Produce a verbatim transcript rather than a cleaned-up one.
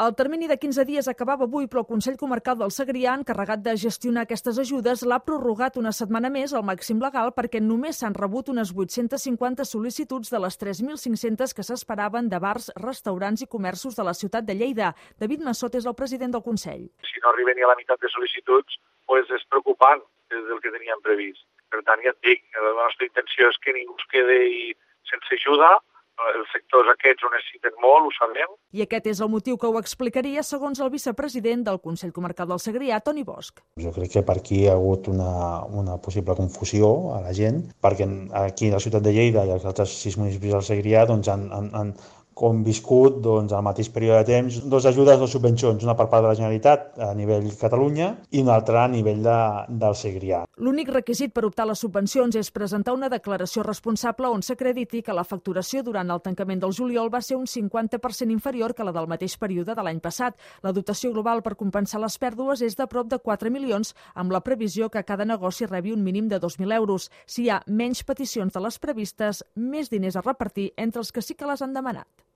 El termini de quinze dies acabava avui, però el Consell Comarcal del Segrià, encarregat de gestionar aquestes ajudes, l'ha prorrogat una setmana més al màxim legal perquè només s'han rebut unes vuit-centes cinquanta sol·licituds de les tres mil cinc-centes que s'esperaven de bars, restaurants i comerços de la ciutat de Lleida. David Massot és el president del Consell. Si no arriben ni a la meitat de sol·licituds, pues és preocupant des del que teníem previst. Per tant, ja et dic, la nostra intenció és que ningú es quedi sense ajuda. Els sectors aquests ho necessiten molt, ho sabem. I aquest és el motiu que ho explicaria, segons el vicepresident del Consell Comarcal del Segrià, Toni Bosch. Jo crec que per aquí hi ha hagut una, una possible confusió a la gent, perquè aquí a la ciutat de Lleida i els altres sis municipis del Segrià doncs, han, han, han conviscut doncs, al mateix període de temps dues ajudes, dues subvencions, una per part de la Generalitat a nivell Catalunya i una altra a nivell de, del Segrià. L'únic requisit per optar a les subvencions és presentar una declaració responsable on s'acrediti que la facturació durant el tancament del juliol va ser un cinquanta per cent inferior que la del mateix període de l'any passat. La dotació global per compensar les pèrdues és de prop de quatre milions, amb la previsió que cada negoci rebi un mínim de dos mil euros. Si hi ha menys peticions de les previstes, més diners a repartir entre els que sí que les han demanat.